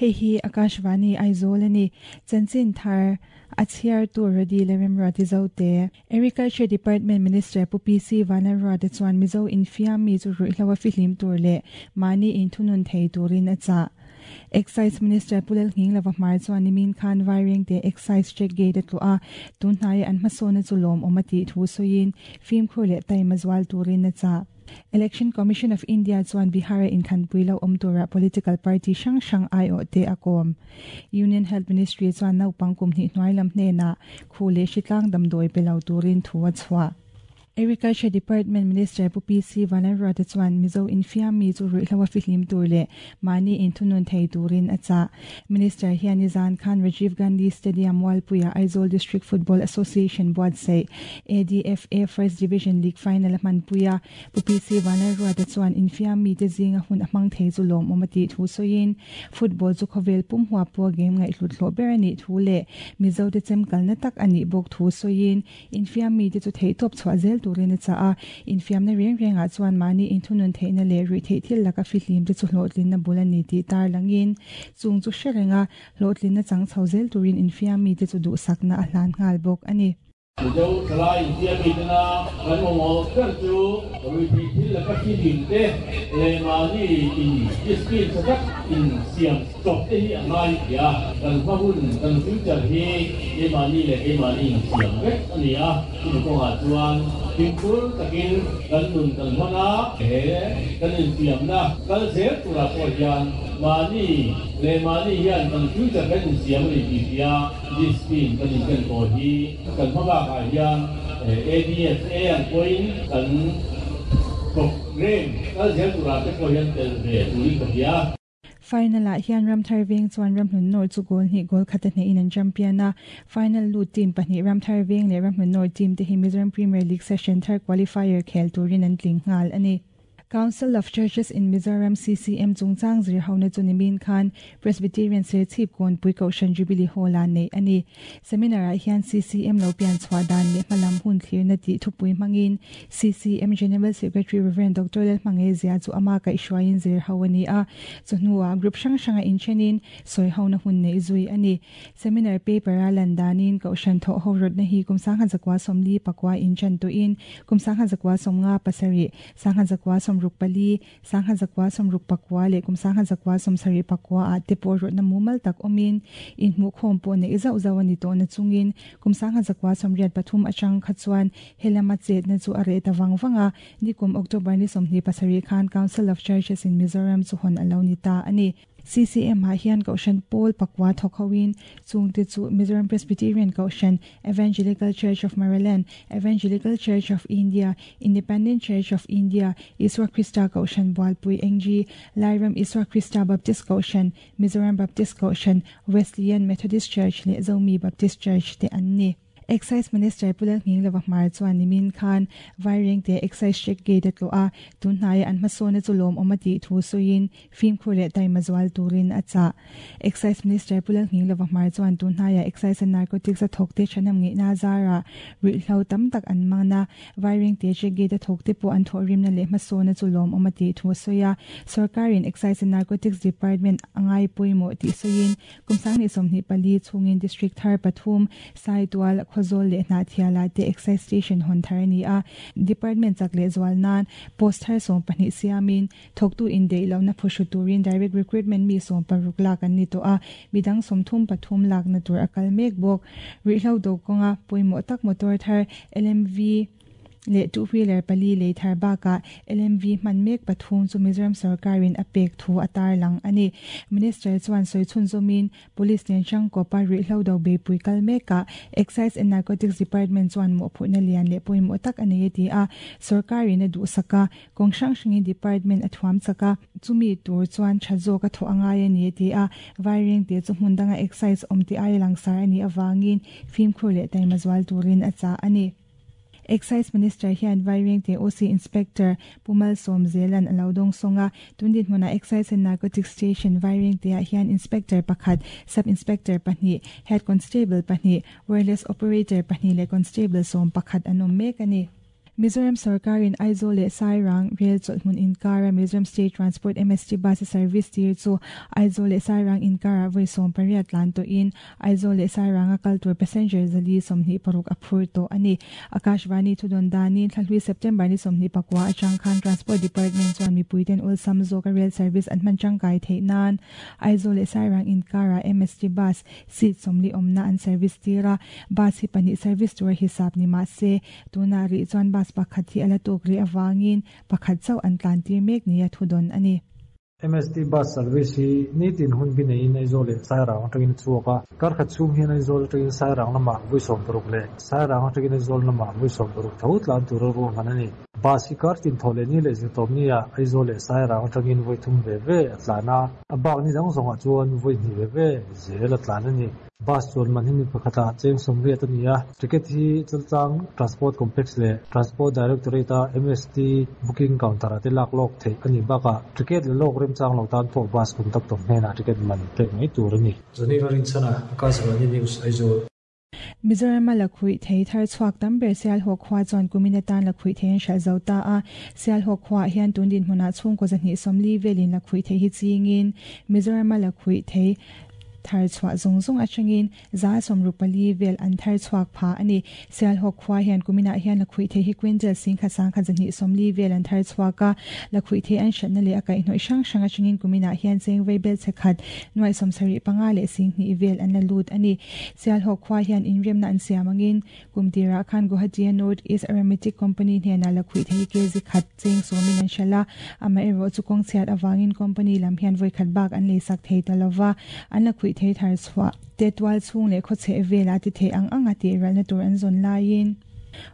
Hei hi Akashvani Aizawl a ni. Chanchin thar a chhiartu Rody Leremruati Zote. Agriculture Department Minister Pu PC Vanlalruata chuan Mizo infiam mi chu ruihhlo a fihlim tur leh mahni inthunun thei turin a chah. Excise Minister Pu Lalnghinglova hmar chuan nimin khan Vairengte Excise Check Gate a tluah a, tun hnaia an hmasawnna chu lawmawm a tih thu sawiin fimkhur leh taima zual turin a chah. Election Commission of India chuan Bihar-a inkhanpui lo awm tura political party hrang hrang aiawhte a kawm. Union Health Ministry chuan naupang kum hnih hnuai lam hnenah khu leh hritlang damdawi pe lo turin thu a chhuah. Agriculture Department Minister Pu PC Vanlalruata chuan Mizo infiam mi chu ruihhlo a fihlim tur leh mahni inthunun thei turin a chah. Minister hian nizan khan Rajiv Gandhi Stadium Mualpuia Aizawl District Football Association buatsaih ADFA First Division League Final a hmanpui a. Pu PC Vanlalruata chuan infiam mite zinga hun a hmang thei chu lawmawm a tih thu sawiin, Football chu khawvel pum huap pawha game ngaihhlut hlawh ber a nih thu leh Mizote chemkalna tak a nih bawk thu sawiin, Infiam mite chu theihtawp chhuah zel turin a chah a, infiamna reng rengah chuan mahni inthunun theihna leh ruihtheih thil laka fihlim te chu hlawhtlinna bul a ni tih tarlangin chung chu hre renga hlawhtlinna chang chho zel turin infiam mite chu duhsakna a hlan nghal bawk a ni. Mizo thalai infiam mitena kan mamawh ber chu ruihtheih thil laka fihlim te leh mahni in discipline tha tak in siam Chawp te hi a ngai tia, kan hma hun, kan future hi keimahni leh keimahni insiam vek a ni a, chumi kawngah chuan fimkhur takin kan nun kan hman a, he kan infiamna kal zel turah pawh hian mahni leh mahni hian kan future kan insiam a ni tih hria discipline kan inken tawh hi kan hma bakah hian ADFA ang pawhin kan program kal zel turah te pawh hian tel ve turin ka hria. Final-ah hian Ramthar Veng chuan Ramhlun North chu goal hnih goal khat a hnehin an champion a. Final lut team pahnih Ramthar Veng leh Ramhlun North team te hi Mizoram Premier League session thar qualifier khel turin an tling nghal a ni. Council of Churches in Mizoram, CCM, chungchang zirhona chu nimin khan Presbyterian Serchhip Kawnpui Kohhran Jubilee Hall-ah neih a ni. Seminar-ah hian CCM lo pian chhuah dan leh hmalam hun thlirna tih thupui hmangin CCM General Secretary Rev. Doctor Lalhmangaih Zia chu ama kaihhruaiin zir ho a ni a, chawhnuah group hrang hranga inthenin sawi hona hun neih zui a ni. Seminar paper-a lan danin Kohhran thawh ho rawtna hi kum 1944 inchan tawhin kum 1957, 1964, 1964 leh kum 1974 ah te pawh rawtna mumal tak awmin inhmuhkhawm pawh neih zauh zauh a ni tawh na chungin kum 1983 atang kha chuan Helama chetna chu a reh ta vang vang a, nikum October ni 27 khan Council of Churches in Mizoram chu hawn a lo ni ta a ni. CCM ah hian Kohhran Pawl pakua thawk hoin chungte chu Mizoram Presbyterian Kohhran, Evangelical Church of Maraland, Evangelical Church of India, Independent Church of India, Isua Krista Kohhran Bualpui NG, Lairam Isua Krista Baptist Kohhran, Mizoram Baptist Kohhran, Wesleyan Methodist Church leh Zomi Baptist Church te an ni. Excise Minister Pu Lalnghinglova Hmar chuan nimin khan Vairengte Excise Check Gate a tlawh a, tun hnaia an hmasawnna chu lawmawm a tih thu sawiin fimkhur leh taima zual turin a chah. Excise Minister Pu Lalnghinglova Hmar chuan tun hnaia Excise and Narcotics a thawkte thanam ngeihna zarah ruihhlo tam tak an man a, Vairengte Check Gate a thawkte pawh an thawhrimna leh hmasawnna chu lawmawm a tih thu a sawi a, Sawrkarin Excise and Narcotics Department a ngai pawimawh tih sawiin Kum 2024 chhungin District thar pathum, Saitual, Khawzawl leh Hnahthialah te Excise Station hawn thar a ni a. Department chak leh zual nan post thar 12 siamin thawktu indeih lohna phuhru turin direct recruitment mi 16 lak an ni tawh a, midang 33 lakna tur a kal mek bawk. Ruihhlo do kawnga pawimawh tak motor thar LMV, leh two wheeler pali lei thar bakah LMV hman mek pathum chu Mizoram sorkarin a pek thu a tarlang a ni. Minister chuan sawi chhunzawmin Police nen hrangkawpa ruihhlo do beipui kal mekah Excise and Narcotics Department chuan mawhphurhna lian leh pawimawh tak a nei a ti a, sorkarin a duhsak a, kawng hrang hrangin department a thuam chak a, chumi tur chuan tha zawk a thawh a ngai a ni a ti a, Vairengte chu hmun danga excise awm tih aia langsar a nih avangin fimkhur leh taima zual turin a chah a ni. Excise Minister hian Vairengte OC Inspector Pu Malsawm Zelan a lo dawng sawng a, tun dinhmunah Excise and Narcotics Station Vairengteah hian Inspector pakhat, Sub Inspector pahnih, Head Constable pahnih, Wireless Operator pahnih leh Constable 11 an awm mek a ni. Mizoram sorkarin Aizawl leh Sairang rel chawlhhmun inkara Mizoram State Transport, MST, bus a service tir chu Aizawl leh Sairang inkarah vawi 18 tlan tawhin Aizawl leh Sairanga kal tur passenger 426 a phur tawh a ni. Akashvani thudawn danin thlahlui September ni 29 atang khan Transport Department chuan mipuiten awlsam zawka rel service an hman tangkai theih nan Aizawl leh Sairang inkarah MST bus seat 40 awmna an service tir a, bus hi pahnih service tura hisap ni mah se tunah rih chuan bus pakhat hi a la tawk rih avangin pakhat chauh an tlan tir mek nia thudawn a ni. MST bus service hi nitin hun bi neiin Aizawl leh Sairang atangin a chhuak a, kar khat chhung hian Aizawl atangin Sairang lamah vawi 60 leh Sairang atangin Aizawl lamah vawi 60 tho tlan tura ruahman a ni. Bus hi kar tin thawh leh ni leh zirtawpni ah Aizawl leh Sairang atangin vawi thum ve ve a tlan a, a bak ni dang zawngah chuan vawi hnih ve ve zel a tlan a ni. Bus chuan man hi mi pakhatah cheng 80 a ni a, ticket hi Chaltlang Transport Complex leh Transport Directorate-a MST booking counter-ah te lak lawk theih a nih bakah ticket la lawk remchang lo tan pawh bus conductor hnenah ticket man pek mai tur a ni. Zaniva Rinchhana, Akashvani News, Aizawl. Mizorama lakhuih thei thar chhuak tam ber Sialhawk khua chuan kumin atan lakhuih thei an hralh zo ta a. Sialhawk khuaah hian tun dinhmunah chhungkaw 240 velin lakhuih thei hi chingin Mizorama lakhuih thei thar chhuah zawng zawng atangin 64% vel an thar chhuak pha a ni. Sialhawk khua hian kuminah hian lakhuih thei hi quintal 10,000 1,240 vel an thar chhuak a. Lakhuih thei an hratna leh a kaihhnawih hrang hrang atangin kuminah hian cheng vei bel che khat nuai 75 leh 20,000 vel an la lut a ni. Sialhawk khua hian inremna an siam angin kum tirah khan Guwahati North East Aromatic Company hnenah lakhuih thei kg khat cheng sawmin an hralh a, amaherawh chu kawng chhiat avangin company lam hian vawi khat bak an leisak thei ta lova, an lakhuih thei thar chhuah te tual chhung leh khawchheh velah ti thei ang anga tih ralna tur an zawn laiin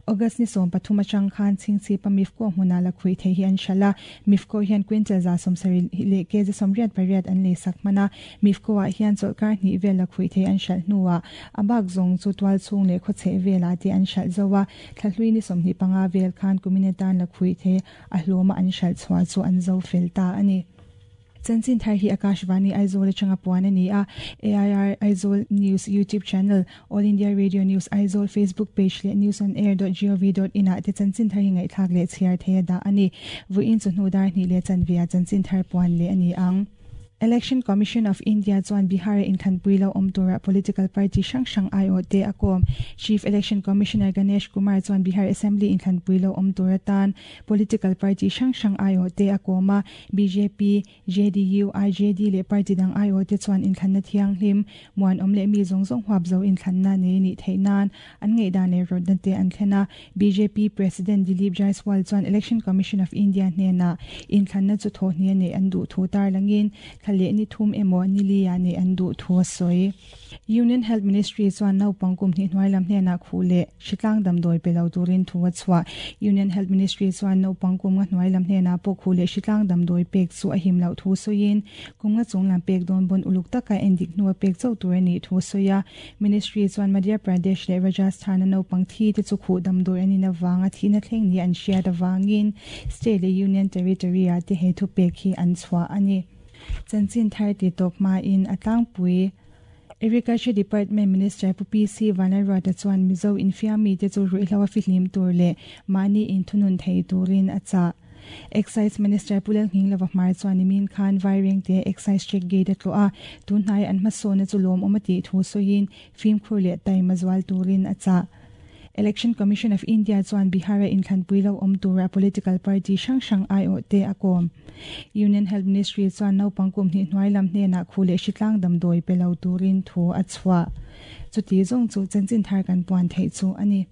August ni 13 atang khan Chhingchhipa Mifco hmunah lakhuih thei hi an hralh a, Mifco hian quintal 70 leh kg 88 an leisak hman a, Mifco ah hian chawlhkar hnih vel lakhuih thei an hralh hnuah a bak zawng chu tual chhung leh khawchheh velah te an hralh zo a, thlahlui ni 25 vel khan kumin atan lakhuih thei a hlawma an hralh chhuah chu an zo fel ta a ni. Chanchin thar hi Akashvani Aizawl atanga puan a ni a, AIR Aizawl News YouTube channel, All India Radio News Aizawl Facebook page leh newsonair.gov.in ah te chanchin thar hi ngaihthlak leh chhiar thei a dah a ni. Vawiin chu hnu dar hnih leh chanve ah chanchin thar puan leh a ni ang. Election Commission of India chuan Bihar-a inthanpui lo awm tura political party hrang hrang aiawh te a kawm. Chief Election Commissioner Ganesh Kumar chuan Bihar Assembly inthanpui lo awm tur atan political party hrang hrang aiawh te a kawm a, BJP, JDU, IJD leh party dang aiawh te chuan inthlanna thianghlim, muanawm leh mi zawng zawng huap zo inthlanna nei nih theih nan an ngaihdan leh rawtna te an thlen a. BJP President Dilip Jaiswal chuan Election Commission of India hnenah inthlanna chu thawhhnih a neih an duh thu tarlangin thla leh ni thum emaw ni li-ah neih an duh thu a sawi. Union Health Ministry chuan naupang kum hnih hnuai lam hnenah khuh leh hritlang damdawi pe lo turin thu a chhuah. Union Health Ministry chuan naupang kum nga hnuai lam hnenah pawh khuh leh hritlang damdawi pek chu a him loh thu sawiin kum nga chung lam pek dawn pawn uluk taka endik hnua pek chauh tur a nih thu a sawi a. Ministry chuan Madhya Pradesh leh Rajasthan-a naupang thi te chu khuh damdawi an in avanga thihna thleng ni an hriat avangin state leh union territory-ah te he thupek hi an chhuah a ni. Chanchin thar ti tawp hmain a tlangpui. Agriculture Department Minister Pu PC Vanlalruata chuan Mizo infiammi te chu ruihhlo a fihlim tur leh mahni inthunun thei turin a chah. Excise Minister Pu Lalnghinglova Hmar chuan nimin khan Vairengte Excise Check Gate a tlawh a, tunhnai an hmasawnna chu lawmawm a tih thu sawiin fimkhur leh taima zual turin a chah. Election Commission of India chuan Bihar-a inthlanpui lo awm tura political party hrang hrang aiawh te a kawm. Union Health Ministry chuan naupang kum hnih hnuai lam hnenah khuh leh hritlang damdawi pe lo turin thu a chhuah. Chuti zawng chu chanchin thar kan puan theih chu a ni.